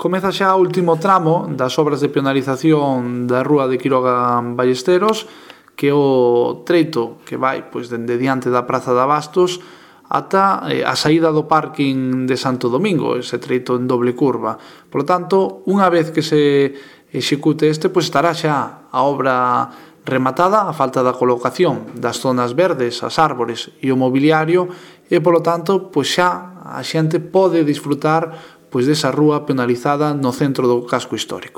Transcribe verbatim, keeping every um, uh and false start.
Comeza xa o último tramo das obras de peonalización da rúa de Quiroga Ballesteros, que é o treito que vai pois, dende diante da Praza de Abastos ata eh, a saída do parking de Santo Domingo, ese treito en doble curva. Por lo tanto, unha vez que se execute este, pois estará xa a obra rematada, a falta da colocación das zonas verdes, as árbores e o mobiliario, e, por lo tanto, pois xa a xente pode disfrutar pois desa rúa penalizada no centro do casco histórico.